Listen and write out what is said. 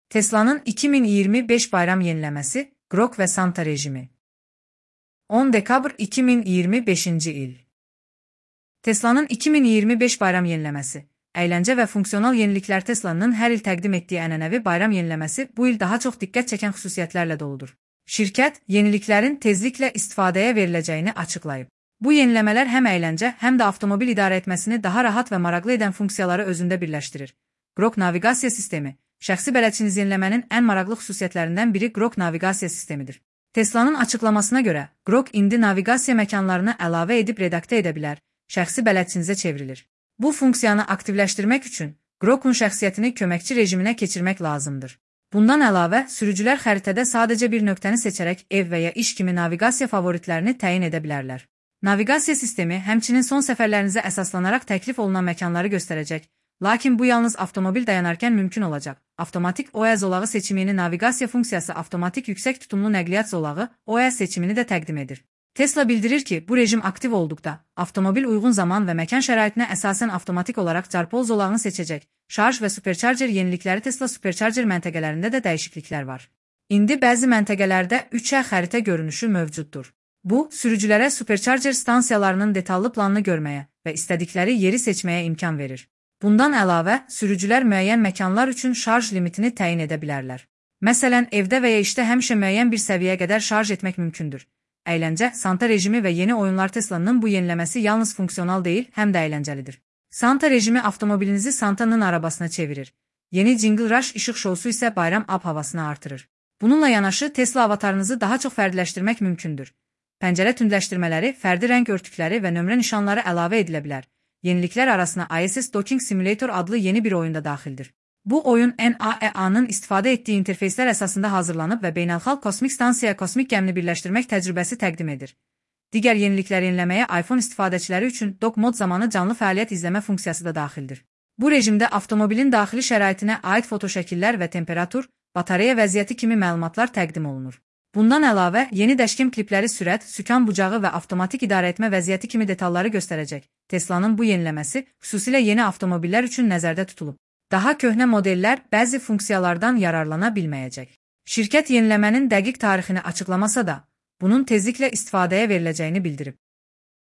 Tesla'nın 2025 bayram yeniləməsi, Grok və Santa rejimi. 10 dekabr 2025 il. Tesla'nın 2025 bayram yeniləməsi, əyləncə və funksional yeniliklər. Tesla'nın hər il təqdim etdiyi ənənəvi bayram yeniləməsi bu il daha çox diqqət çəkən xüsusiyyətlərlə doludur. Şirkət, yeniliklərin tezliklə istifadəyə veriləcəyini açıqlayıb. Bu yeniləmələr həm əyləncə, həm də avtomobil idarə etməsini daha rahat və maraqlı edən funksiyaları özündə birləşdirir. Grok naviqasiya sistemi. Şəxsi bələdçiniz yeniləmənin ən maraqlı xüsusiyyətlərindən biri Grok naviqasiya sistemidir. Tesla'nın açıqlamasına görə, Grok indi naviqasiya məkanlarını əlavə edib redaktə edə bilər, şəxsi bələdçinizə çevrilir. Bu funksiyanı aktivləşdirmək üçün Grok'un şəxsiyyətini köməkçi rejiminə keçirmək lazımdır. Bundan əlavə, sürücülər xəritədə sadəcə bir nöqtəni seçərək ev və ya iş kimi naviqasiya favoritlərini təyin edə bilərlər. Naviqasiya sistemi həmçinin son səfərlərinizə əsaslanaraq təklif olunan məkanları göstərəcək, lakin bu yalnız avtomobil dayanarkən mümkün olacaq. Avtomatik OE zolağı seçimini naviqasiya funksiyası avtomatik yüksək tutumlu nəqliyyat zolağı OE seçimini də təqdim edir. Tesla bildirir ki, bu rejim aktiv olduqda, avtomobil uyğun zaman və məkan şəraitinə əsasən avtomatik olaraq carpol zolağını seçəcək. Şarj və supercharger yenilikləri. Tesla supercharger məntəqələrində də dəyişikliklər var. İndi bəzi məntəqələrdə 3Ə xəritə görünüşü mövcuddur. Bu, sürücülərə supercharger stansiyalarının detallı planını görməyə və istədikləri yeri seçməyə imkan verir. Bundan əlavə, sürücülər müəyyən məkanlar üçün şarj limitini təyin edə bilərlər. Məsələn, evdə və ya işdə həmişə müəyyən bir səviyyəyə qədər şarj etmək mümkündür. Əyləncə, Santa rejimi və yeni oyunlar. Tesla'nın bu yeniləməsi yalnız funksional deyil, həm də əyləncəlidir. Santa rejimi avtomobilinizi Santa'nın arabasına çevirir. Yeni Jingle Rush işıq şousu isə bayram ab-havasını artırır. Bununla yanaşı, Tesla avatarınızı daha çox fərdiləşdirmək mümkündür. Pəncərə tündləşdirmələri, fərdi rəng örtükləri və nömrə nişanları əlavə edilə bilər. Yeniliklər arasına ISS Docking Simulator adlı yeni bir oyun da daxildir. Bu oyun NAEA-nın istifadə etdiyi interfeyslər əsasında hazırlanıb və beynəlxalq kosmik stansiyaya kosmik gəmini birləşdirmək təcrübəsi təqdim edir. Digər yenilikləri yeniləməyə iPhone istifadəçiləri üçün dock mod zamanı canlı fəaliyyət izləmə funksiyası da daxildir. Bu rejimdə avtomobilin daxili şəraitinə aid fotoşəkillər və temperatur, batareya vəziyyəti kimi məlumatlar təqdim olunur. Bundan əlavə, yeni dəşkim klipləri sürət, sükan bucağı və avtomatik idarə etmə vəziyyəti kimi detalları göstərəcək. Tesla'nın bu yeniləməsi xüsusilə yeni avtomobillər üçün nəzərdə tutulub. Daha köhnə modellər bəzi funksiyalardan yararlana bilməyəcək. Şirkət yeniləmənin dəqiq tarixini açıqlamasa da, bunun tezliklə istifadəyə veriləcəyini bildirib.